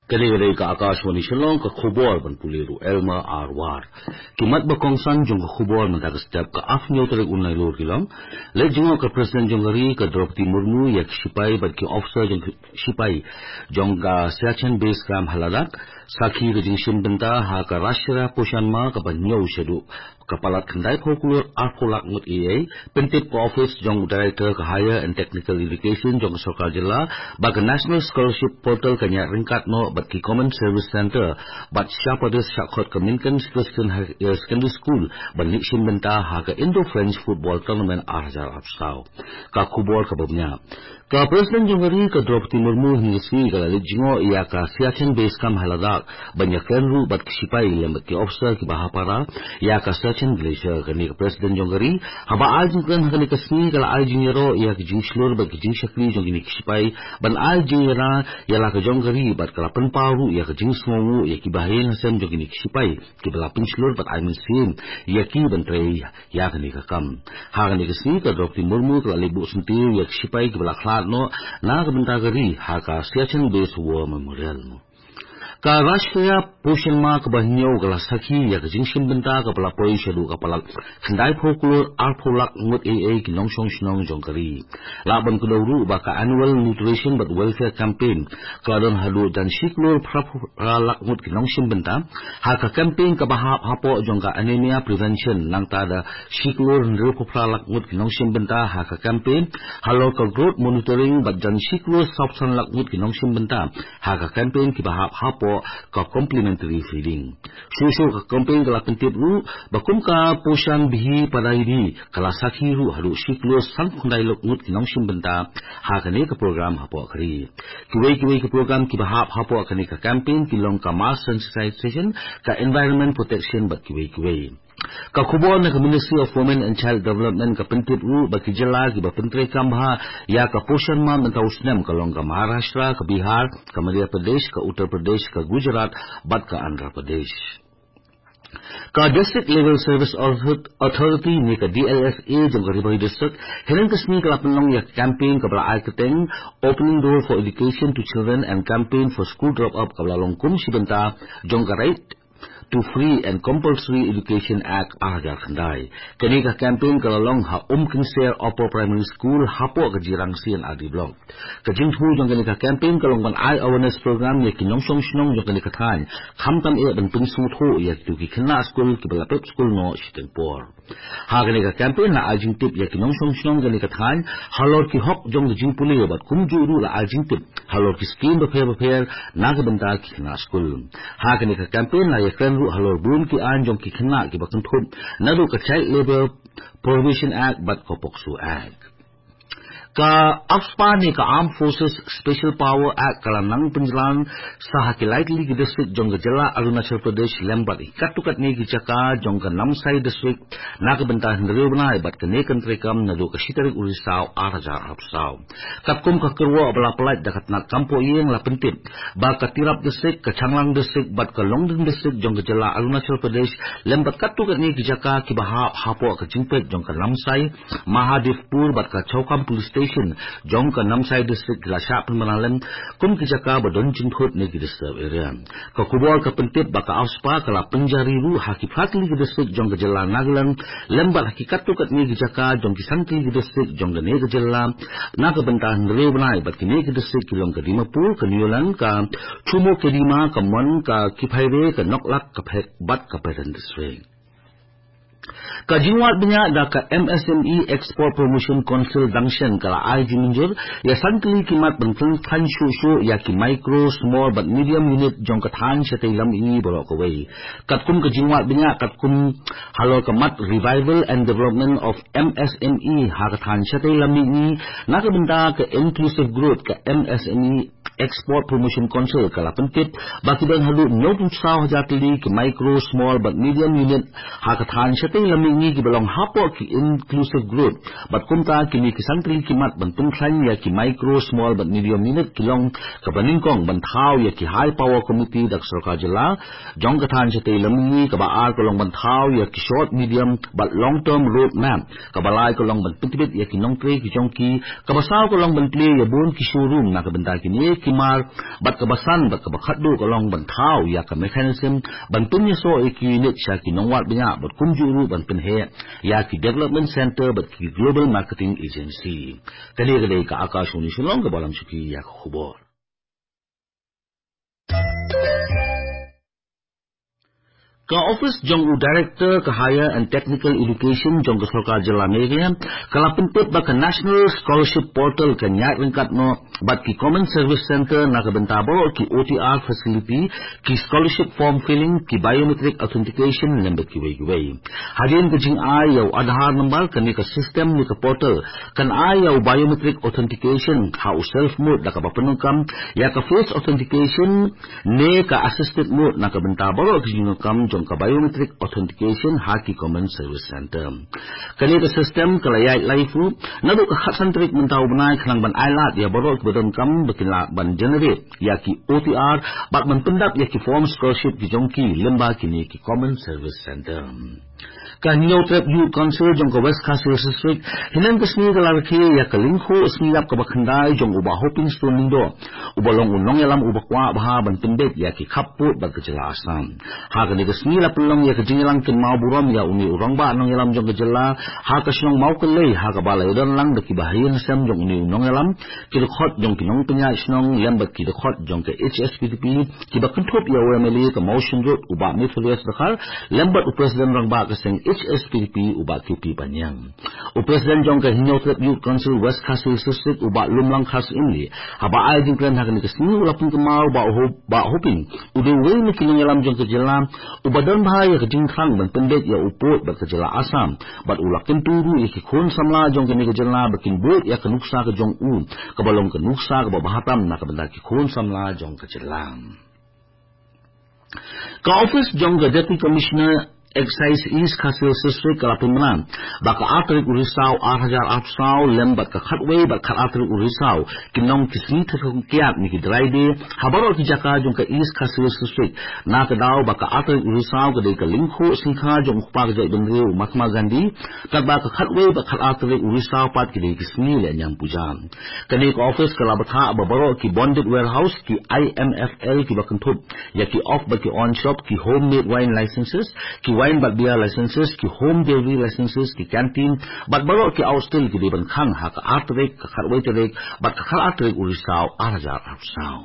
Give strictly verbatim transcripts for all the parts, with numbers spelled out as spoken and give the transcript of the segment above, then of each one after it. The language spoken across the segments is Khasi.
Ka dei ka dei ka Akashvani Shillong, ka khubor ban pule ruh Elma Arwar. Ki mat ba kongsan jong ka khubor mynta ka step. Ka arphew tarik u Nailur ki long. Leit jngoh ka President jong ka ri ka Droupadi Murmu ïa ki sipai bad ki officer jong ki sipai jong ka Siachen Base Camp ha Ladakh. Sakhi ka jingshim bynta ha ka Rashtriya Poshan Maah kaba hynñiew shaduh ka palat khyndai phew klur arphew lak ngut ei ei. Pyntip ka office jong u Director ka Higher and Technical Education jong ka sorkar jylla ba ka National Scholarship Portal ka ñiah ryngkat noh bad ki Common Service Centre bad sha pyrthei sha khot ka Minkan Christian High, eh, Secondary School ban leit shim bynta ha ka Indo-French Football Tournament ar hajar arphew saw. Ka khubor kaba bniah. Ka President jong ka ri ka Droupadi Murmu hynne ka sngi ka la leit jngoh ïa ka Siachen Base Camp ha Ladakh ban ïakren ruh bad ki sipai lem bad ki officer kiba ha para ïa ka Siachen Glacier. Kane ka President jong ka ri haba ai jingkren ha kane ka sngi ka la ai jingïaroh ïa ka jingshlur bad ka jingshakri jong kine ki sipai ban ai jingïada ïa la ka jong ka ri bad ka la pynpaw ruh ïa ka jingsngewnguh ïa ki bahaïing hasem jong kine ki sipai kiba la pynshlur bad ai mynsiem ïa ki ban trei ïa kane ka kam. Ha kane ka sngi ka Droupadi Murmu ka la leit buh syntiew ïa ki sipai kiba la khlad noh na ka bynta ka ri ha ka Siachen Base War Memorial. Ka Rashtriya Poshan Maah kaba hynñiew ka la sakhi ïa ka jingshim bynta kaba la poi shaduh ka palat khyndai phew klur arphew lak ngut ei ei ki nongshong shnong jong ka ri. Lah ban kdew ruh ba ka Annual Nutrition bad Welfare Campaign ka la don haduh jan shi klur phra phra lak ngut ki nongshim bynta ha ka campaign kaba hap hapoh jong ka anemia prevention, nangta da shi klur hynriew phra lak ngut ki nongshim bynta ha ka campaign halor ka growth monitoring bad jan shi klur saw phew san lak ngut ki nongshim bynta ha ka campaign kiba hap hapoh ka complementary feeding. Shuh shuh ka campaign ka la pyntip ruh ba kum ka Poshan Bhi Padai Bhi ka la sakhi ruh haduh shi klur san phew khyndai lak ngut ki nongshim bynta ha kane ka program hapoh ka ri. Kiwei kiwei ki program kiba hap hapoh kane ka campaign ki long ka mass sensitization, ka environment protection bad kiwei kiwei. Ka khubor na ka Ministry of Women and Child Development ka pyntip ruh ba ki jylla kiba pyntreikam bha ïa ka Poshan Maah mynta u snem ka long ka Maharashtra, ka Bihar, ka Madhya Pradesh, ka Uttar Pradesh, ka Gujarat bad ka Andhra Pradesh. Ka District Level Service Author-, Authority ne ka D L S A jong ka Ri Bhoi District hynne ka sngi ka la pynlong ïa ka campaign kaba la ai kyrteng Opening Door for Education to Children and Campaign for School Drop Out kaba la long kum shi bynta jong ka Right to Free and Compulsory Education Act ar hajar khyndai. Kane ka campaign ka la long ha Umkynser Upper Primary School hapoh ka Jirang C and R D Block. Ka jingthmu jong kane ka campaign ka long ban ai awareness program ïa ki nongshong shnong jong kane ka thaiñ, khamtam eh ban pynsngewthuh ïa kito ki khynnah skul kiba la pep skul noh shiteng por. Ha kane ka campaign la ai jingtip ïa ki nongshong shnong kane ka thaiñ halor ki hok jong ka jingpule bad kumjuh ruh la ai jingtip halor ki skim bapher bapher na ka bynta ki khynnah skul. Ha kane ka campaign la ïakren ruh halor bun ki aiñ jong ki khynnah kiba kynthup naduh ka Child Labour Prohibition Act bad ka POCSO Act. Ka AFSPA ne ka Armed Forces Special Power Act ka la nang pynjlan sa ha ki lai tylli ki district jong ka jylla Arunachal Pradesh lem bad katto katne ki jaka jong ka Namsai District na ka bynta hynriew bnai bad kane kan treikam naduh ka shi tarik u Risaw ar hajar arphew saw. Katkum ka kyrwoh ba la pyllait da ka tnat kam poh ïing la pyntip ba ka Tirap District, ka Changlang District bad ka Longding District jong ka jylla Arunachal Pradesh lem bad katto katne ki jaka kiba hap hapoh ka jingpeit jong ka Namsai, Mahadevpur bad ka Chowkham Police Station jong ka Namsai District ki la shah pynbna lem kum ki jaka ba don jingthut ne ki disturb area. Ka khubor ka pyntip ba ka AFSPA ka la pynjari ruh ha ki phra tylli ki district jong ka jylla Nagaland lem bad ha ki katto katne ki jaka jong ki san tylli ki district jong kane ka jylla na ka bynta hynriew bnai bad kine ki district ki long ka Dimapur, ka Newland, ka Chumoukedima, ka Mon, ka Kiphire, ka Noklak, ka Phek bad ka Peren District. Ka jingwad bniah da ka M S M E Export Promotion Council dang shen ka la ai jingmynjur ïa san tylli ki mat ban pynthang shuh shuh ïa ki micro, small bad medium unit jong ka thaiñ shatei lam mihngi baroh kawei. Katkum ka jingwad bniah katkum halor ka mat Revival and Development of M S M E ha ka thaiñ shatei lam mihngi na ka bynta ka inclusive growth, ka M S M E Export Promotion Council ka la pyntip ba ki don haduh hynñiewphew saw hajar tylli ki micro, small bad medium unit ha ka thaiñ shatei lam mihngi kiba long hapoh ki inclusive growth. Bad kumta kine ki san tylli ki mat ban pynkhlaiñ ïa ki micro, small bad medium unit ki long kaba nyngkong ban thaw ïa ki high power committee da ka sorkar jylla jong ka thaiñ shatei lam mihngi, kaba ar ka long ban thaw ïa ki short, medium bad long term road map, kaba lai ka long ban pyntbit ïa ki nongtrei ki jong ki, kaba saw ka long ban plie ïa bun ki showroom na ka bynta kine Kimar, bad kaba san, bad kaba khatduh ka long ban thaw ïa ka mechanism ban pynïasoh ïa ki unit sha ki nongwad bniah, bad kumjuh ruh ban pynheh ïa ki development center bad ki global marketing agency. Kane ka dei ka Akashvani Shillong kaba lam shuki ïa ka khubor. Ka office jong u Director ka Higher and Technical Education jong ka Sorkar Jylla Meghalaya ka la pyntip ba ka National Scholarship Portal kan ïaid ryngkat noh bad ki Common Service Center na ka bynta baroh ki O T R facility, ki scholarship form filling, ki biometric authentication lem bad kiwei kiwei. Hadien ka jingai ïa u Aadhaar number, kane ka system ne ka portal kan ai ïa u biometric authentication ha u self mode da kaba pyndonkam ïa ka face authentication ne ka assisted mode na ka bynta baroh ki jingdonkam jong ka biometric authentication ha ki Common Service Center. Kane ka system ka la ïaid live ruh naduh ka khatsan tarik mynta u bnai, khnang ban ai lad ïa baroh kiba donkam ba kin lah ban generate ïa ki O T R bad ban pyndap ïa ki form scholarship ki jong ki lyngba kine ki Common Service Center. Ka Hynñiewtrep Youth Council jong ka West Khasi Hills District, hynne ka sngi ka la rakhe ïa ka lyngkhuh sngi ïap kaba khyndai jong u Bah Hoping Stone Lyngdoh, uba long u nongïalam uba kwah bha ban pynbeit ïa ki khappud bad ka jylla Assam. Ha kane ka sngi la pynlong ïa ka jingïalang kynmaw burom ïa une u rangbah nongïalam jong ka jylla ha ka shnong Mawkyllei, ha kaba la ïadon lang da kiba ha ïing ha sem jong une u nongïalam, ki dkhot jong ki nongpynïaid shnong lem bad ki dkhot jong ka H S P D P, kiba kynthup ïa u M L A ka Mawshynrut u Bah Methodius Dkhar lem bad u President rangbah ka seng H S P D P u Bah K P Baniang. U President jong ka Hynñiewtrep Youth Council West Khasi Hills District u Bah Lumlang Kharsyimli, haba ai jingkren ha kane ka sngi, u la pynkynmaw ba u Bah Hoping u dei uwei na ki nongïalam jong ka jylla uba don bha ïa ka jingthrang ban pynbeit ïa u pud bad ka jylla Assam, bad u la kyntu ruh ïa ki khun samla jong kane ka jylla ba kin bud ïa ka nuksa ka jong u, kaba long ka nuksa kaba bha tam na ka bynta ki khun samla jong ka jylla. Ka office jong ka Deputy Commissioner Excise East Khasi Hills District ka la pynbna ba ka ar tarik u Risaw ar hajar arphew saw lem bad ka khatwei bad khatar tarik u Risaw kin long ki sngi thadkhong kiad ne ki dry day ha baroh ki jaka jong ka East Khasi Hills District, na ka daw ba ka ar tarik u Risaw ka dei ka lyngkhuh sngi kha jong u kpa ka jaitbynriew u Mahatma Gandhi, katba ka khatwei bad khatar tarik u Risaw pat ki dei ki sngi lehniam puja. Kane ka office ka la bthah ba baroh ki bonded warehouse, ki I M F L kiba kynthup ïa ki off bad ki on shop, ki homemade wine licenses, ki wine bad beer licenses, ki home delivery licenses, ki canteen bad baroh ki outstill ki dei ban khang ha ka ar tarik, ka khatwei tarik bad ka khatar tarik u Risaw ar hajar arphew saw.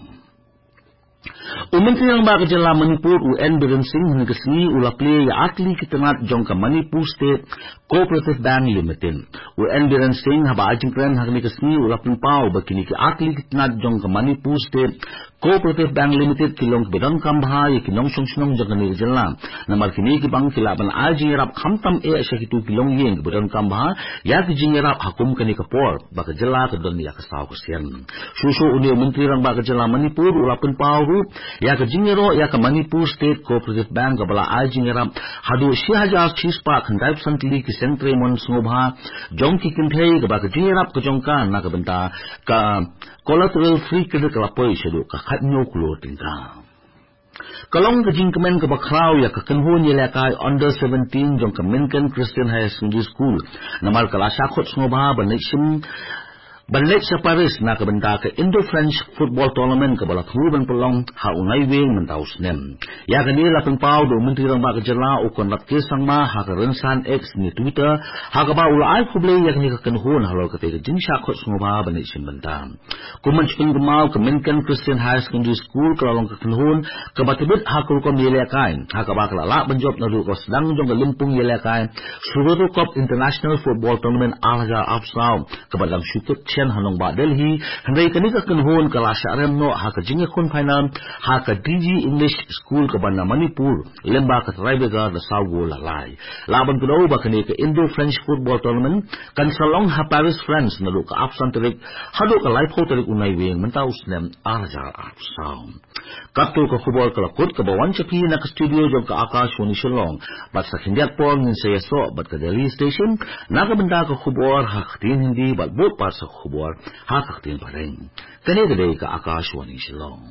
U Myntri Rangbah ka jylla Manipur u N Biren Singh hynne ka sngi u la plie ïa artylli ki tnat jong ka Manipur State Cooperative Bank Limited. U N Biren Singh haba ai jingkren ha kane ka sngi u la pynpaw ba kine ki artylli ki tnat jong ka Manipur State Cooperative Bank Limited ki long kiba donkam bha ïa ki nongshong shnong jong kane ka jylla, namar kine ki bank ki lah ban ai jingïarap khamtam eh sha kito ki longïing kiba donkam bha ïa ki jingïarap ha kum kane ka por ba ka jylla ka don ïa ka saw ka sien. Shuh shuh une u Myntri Rangbah ka jylla Manipur u la pynpaw ruh ïa ka jingïaroh ïa ka Manipur State Cooperative Bank kaba la ai jingïarap haduh shi hajar shi spah khyndai phew san tylli ki seng trei mon sngewbha jong ki kynthei, kaba ka jingïarap ka jong ka na ka bynta ka collateral free credit ka la poi shaduh ka khathynñiew klur tyngka. Ka long ka jingkmen kaba khraw ïa ka kynhun ïalehkai under seventeen jong ka Mynken Christian Higher Secondary School, namar ka la shah khot sngewbha ban leit shim, ban leit sha Paris na ka bynta ka Indo-French Football Tournament kaba la thmu ban pynlong ha u Naiwieng mynta u snem. Ïa kane la pynpaw da u Myntri Rangbah ka jylla u Conrad K Sangma ha ka rynsan X ne Twitter, ha kaba u la ai khublei ïa kane ka kynhun halor katei ka jingshah khot sngewbha ban leit shim bynta. Kum ban shu pynkynmaw, ka Mynken Christian Higher Secondary School ka la long ka kynhun kaba tbit ha ka rukom ïalehkai, ha kaba ka la lah ban jop naduh ka sdang jong ka lympung ïalehkai Suroto Cup International Football Tournament ar hajar arphew saw, kaba dang shu kit shen ha nongbah Delhi, hynrei kane ka kynhun ka la shah rem noh ha ka jingïakhun final ha ka D G English School kaba na Manipur, lyngba ka tiebreaker da saw gol la lai. Lah ban kdew ba kane ka Indo-French Football Tournament kan sa long ha Paris, France, naduh ka arphew san tarik haduh ka laiphew tarik u Naiwieng mynta u snem ar hajar arphew saw. Katto ka khubor ka la kut kaba wan sha phi na ka studio jong ka Akashvani Shillong. Bad sa khyndiat por ngin sa ïasoh bad ka Delhi Station na ka bynta ka khubor ha ka ktien Hindi bad bud pat sa ka khubor ha ka ktien Phareng. Kane ka dei ka Akashvani Shillong.